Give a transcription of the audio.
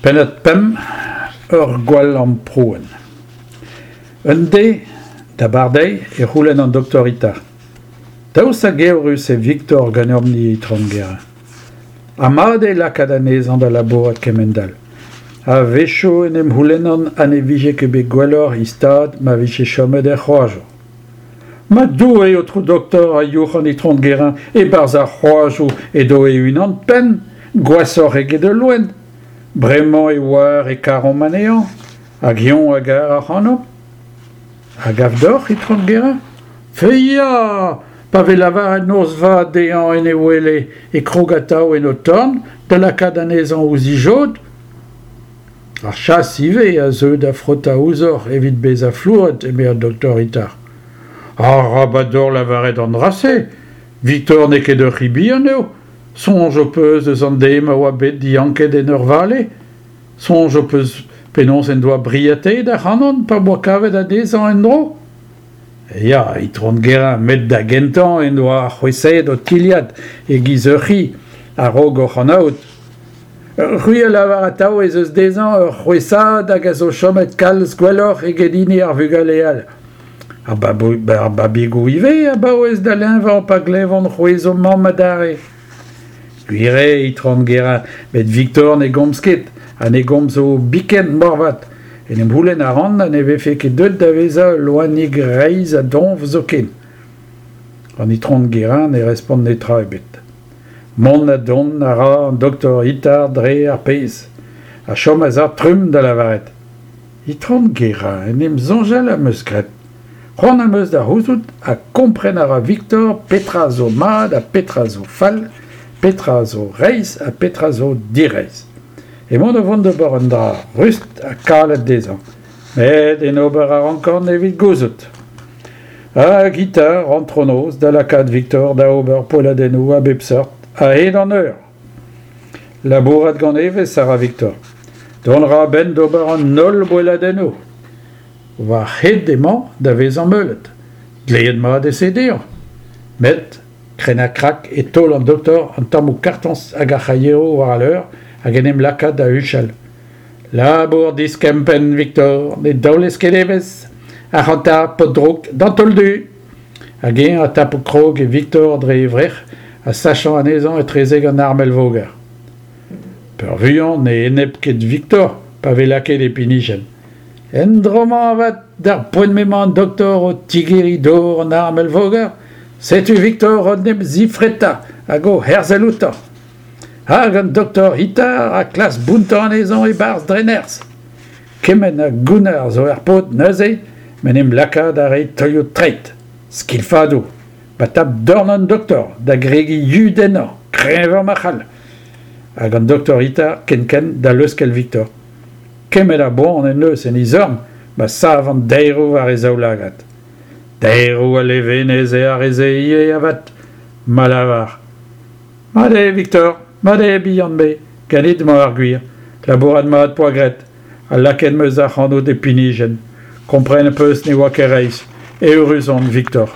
Pennad pemp, Ur gwall amprouenn. Un deiz, d'abardaez, e c'houlenn an doktor Itard. Daoust hag eürus eo Viktor ganeomp-ni, Itron Guérin? Ha mat eo lakaat anezhañ da labourat kemend-all. A-wechoù en em c'houlennan ha ne vije ket bet gwelloc'h he stad ma vije chomet er c'hoajoù. Ma Doue, aotrou doktor, a youc'h an itron Guérin, e-barzh ar c'hoajoù edo e-unan-penn, gwashoc'h eget ul loen. Bremañ e oar e karomp anezhañ, hag eñ a gar ac'hanomp. A gav deoc'h, itron Guérin? Fe ya! Pa vez lavaret noz vat dezhañ en e wele e krog atav en ho torn da lakaat anezhañ ouzh e jod. Ar chas ivez a zeu da frotañ ouzhoc'h evit bezañ flouret, eme an doktor Itard. Arabat deoc'h lavaret an dra-se! Victor n'eo ket ur c'hi bihan eo. Soñj ho peus eus an deiz ma oa bet dianket en ur vale? Soñj ho peus penaos en doa briataet ac'hanon pa 'boa kavet anezhañ en-dro? Ya, itron Guérin, met da gentañ en doa c'hwesaet ho tilhad e-giz ur c'hi a-raok hoc'h anaout. C'hwi a lavar atav ez eus dezhañ ur c'hwesaad hag a zo chomet kalz gwelloc'h eget hini ar vugale all. Ar babigoù ivez a baouez da leñvañ pa glevont c'hwezh o mamm adarre. Gwir eo, itron Guérin, met Victor ne gomz ket ha ne gomzo biken moarvat. En em c'houlenn a ran ha ne vefe ket deuet da vezañ ul loenig reizh ha doñv zoken. An itron Guérin ne respont netra ebet. Mont ha dont a ra an doktor Itard dre ar pezh, ha chom a-sav trumm da lavaret Itron Guérin, en em soñjal am eus graet. C'hoant am eus da c'houzout ha kompren a ra Victor petra zo mat ha petra zo fall, petra zo reizh ha petra zo direizh. Emaon o vont d'ober un dra rust ha kalet dezhañ, met en ober a rankan evit gouzout. Hag Itard antronoz da lakaat Victor da ober poelladennoù a bep seurt a-hed an eur. Labourat gant evezh a ra Victor. Dont a ra a-benn d'ober an holl boelladennoù. War-hed emañ da vezañ meulet. Dleet mat eo se dezhañ. Met krenn-ha-krak e taol an doktor an tammoù kartoñs hag ar c'haieroù war al leur hag en em laka da huchal. Labour diskempenn, Victor, ne daolez ket evezh. Ac'hanta, paotr drouk, d'an taol du! Hag eñ ha tapout krog e Victor dre e vrec'h ha sachañ anezhañ etrezek an armel-voger. Peurvuiañ ne eneb ket Victor pa vez lakaet e pinijenn. En dro-mañ avat, d'ar poent m'emañ an doktor o tigeriñ dor an armel-voger, setu Victor o 'n em zifretañ hag o herzel outañ. Hag an doktor Itard a klask bountañ anezhañ e-barzh dre nerzh. Kement a gounnar zo er paotr neuze m'en em laka da reiñ taolioù treid, skilfadoù, ma tap dorn an doktor da gregiñ yud ennañ, kreñvañ ma c'hall. Hag an doktor Itard kenkent da leuskel Victor. Kemmet a boan en deus en e zorn ma sav an daeroù war e zaoulagad. Daeroù a levenez eo ar re-se ivez avat, ma lavar. Mat eo, Victor, mat eo, bihan-me, ganit emañ ar gwir. Labourat mat 'poa graet, ha lakaet 'm eus ac'hanout e pinijenn. Kompren 'peus ne oa ket reizh. Eürus on, Victor.